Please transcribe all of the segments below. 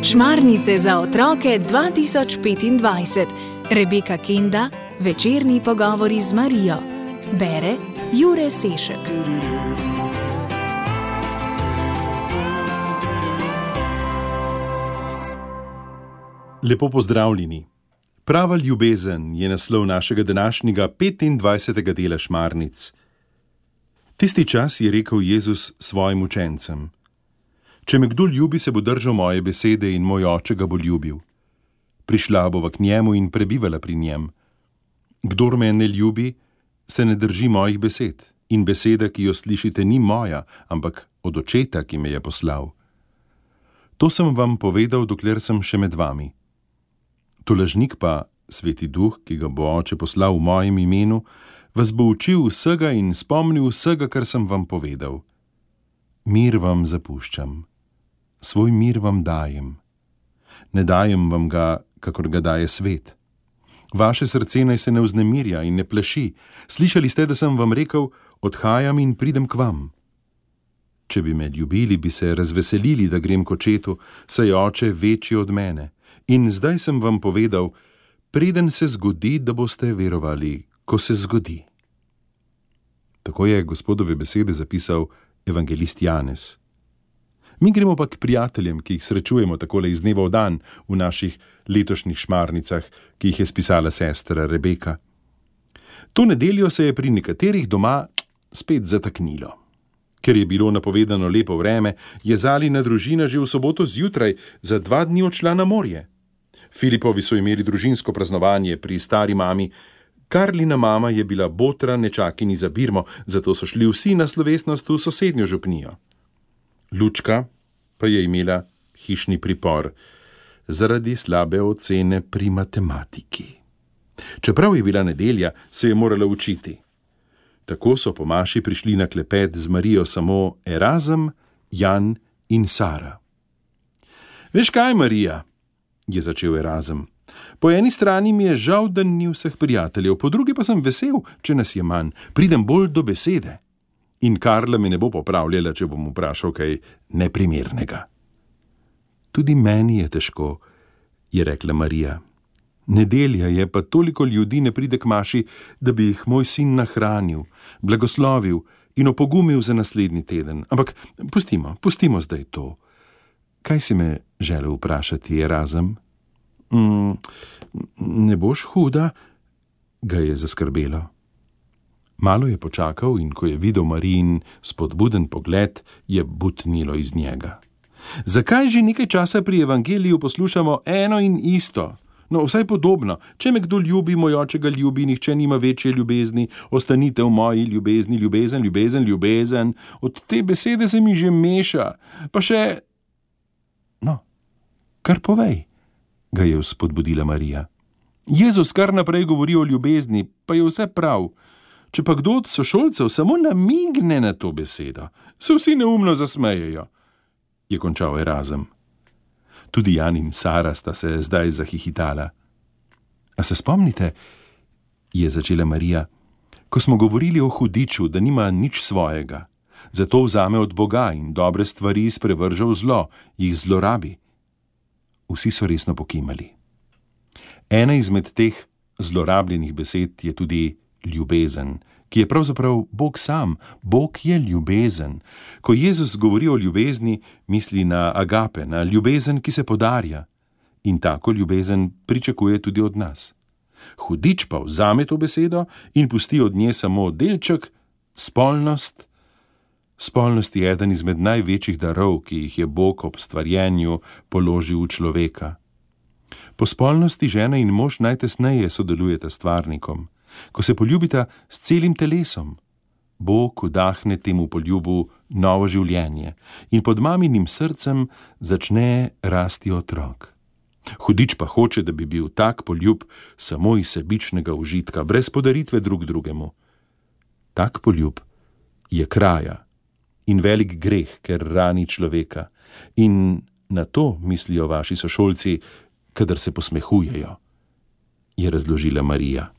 Šmarnice za otroke 2025. Rebeka Kenda, večerni pogovori z Marijo. Bere Jure Sešek. Lepo pozdravljeni. Prava ljubezen je naslov našega današnjega 25. dela Šmarnic. Tisti čas je rekel Jezus svojim učencem: Če me kdo ljubi, se bo držal moje besede in moj oče ga bo ljubil. Prišla bova k njemu in prebivala pri njem. Kdor me ne ljubi, se ne drži mojih besed, in beseda, ki jo slišite, ni moja, ampak od očeta, ki me je poslal. To sem vam povedal, dokler sem še med vami. Tolažnik pa, Sveti Duh, ki ga bo oče poslal v mojem imenu, vas bo učil vsega in spomnil vsega, kar sem vam povedal. Mir vam zapuščam, svoj mir vam dajem. Ne dajem vam ga, kakor ga daje svet. Vaše srce naj se ne vznemirja in ne plaši. Slišali ste, da sem vam rekel: odhajam in pridem k vam. Če bi me ljubili, bi se razveselili, da grem k očetu, saj je oče večji od mene. In zdaj sem vam povedal, preden se zgodi, da boste verovali, ko se zgodi. Tako je Gospodove besede zapisal evangelist Janez. Mi gremo pa k prijateljem, ki jih srečujemo takole iz dneva v dan v naših letošnjih šmarnicah, ki jih je spisala sestra Rebeka. To nedeljo se je pri nekaterih doma spet zataknilo. Ker je bilo napovedano lepo vreme, je Zalina družina že v soboto zjutraj za 2 dni odšla na morje. Filipovi so imeli družinsko praznovanje pri stari mami, Karlina mama je bila botra nečakini za birmo, zato so šli vsi na slovesnost v sosednjo župnijo. Lučka pa je imela hišni pripor zaradi slabe ocene pri matematiki. Čeprav je bila nedelja, se je morala učiti. Tako so po maši prišli na klepet z Marijo samo Erazem, Jan in Sara. Veš kaj, Marija, je začel Erazem. Po eni strani mi je žal, da ni vseh prijateljev, po drugi pa sem vesel, če nas je manj, pridem bolj do besede. In Karla me ne bo popravljala, če bom vprašal kaj neprimernega. Tudi meni je težko, je rekla Marija. Nedelja je, pa toliko ljudi ne pride k maši, da bi jih moj sin nahranil, blagoslovil in opogumil za naslednji teden. Ampak pustimo zdaj to. Kaj si me želel vprašati, Erazem? Ne boš huda? Ga je zaskrbelo. Malo je počakal in ko je videl Marijin spodbuden pogled, je butnilo iz njega. Zakaj že nekaj časa pri evangeliju poslušamo eno in isto? No, vsaj podobno. Če me kdo ljubi, moj oče ga ljubi, nihče nima večje ljubezni, ostanite v moji ljubezni, ljubezen, ljubezen, ljubezen. Od te besede se mi že meša. Pa še... No, kar povej, ga je vzpodbudila Marija. Jezus kar naprej govori o ljubezni, pa je vse prav. Če pa kdo od sošolcev samo namigne na to besedo, se vsi neumno zasmejejo, je končal Erazem. Tudi Jan in Sara sta se zdaj zahihitala. A se spomnite, je začela Marija, ko smo govorili o hudiču, da nima nič svojega, zato vzame od Boga in dobre stvari sprevrže v zlo, jih zlorabi. Vsi so resno pokimali. Ena izmed teh zlorabljenih besed je tudi ljubezen, ki je pravzaprav Bog sam. Bog je ljubezen. Ko Jezus govori o ljubezni, misli na agape, na ljubezen, ki se podarja. In tako ljubezen pričakuje tudi od nas. Hudič pa vzame to besedo in pusti od nje samo delček, spolnost. Spolnost je eden izmed največjih darov, ki jih je Bog ob stvarjenju položil v človeka. Po spolnosti žena in mož najtesneje sodelujeta s stvarnikom. Ko se poljubita s celim telesom, Bog vdahne temu poljubu novo življenje in pod maminim srcem začne rasti otrok. Hudič pa hoče, da bi bil tak poljub samo iz sebičnega užitka, brez podaritve drug drugemu. Tak poljub je kraja in velik greh, ker rani človeka. In na to mislijo vaši sošolci, kadar se posmehujejo, je razložila Marija.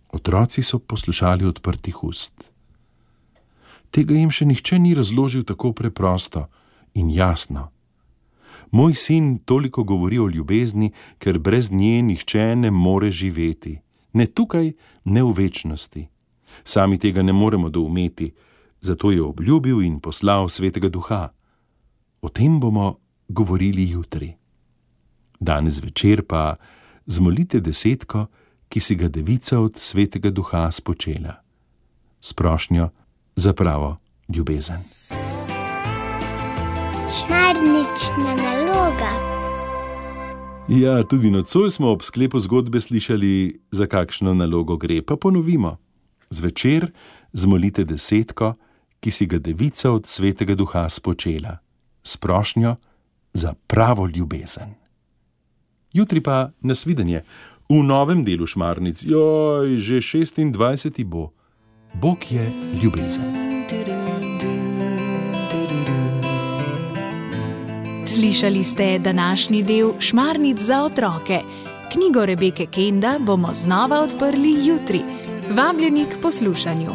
Otroci so poslušali odprtih ust. Tega jim še nihče ni razložil tako preprosto in jasno. Moj sin toliko govori o ljubezni, ker brez nje nihče ne more živeti. Ne tukaj, ne v večnosti. Sami tega ne moremo doumeti, zato je obljubil in poslal Svetega Duha. O tem bomo govorili jutri. Danes večer pa zmolite desetko, ki si ga Devica od Svetega Duha spočela. S prošnjo za pravo ljubezen. Šmarnična naloga. Ja, tudi nocoj smo ob sklepu zgodbe slišali, za kakšno nalogo gre, pa ponovimo. Zvečer zmolite desetko, ki si ga Devica od Svetega Duha spočela. S prošnjo za pravo ljubezen. Jutri pa nasvidenje v novem delu Šmarnic. Joj, že 26. bo. Bog je ljubezen. Slišali ste današnji del Šmarnic za otroke. Knjigo Rebeke Kenda bomo znova odprli jutri. Vabljeni k poslušanju.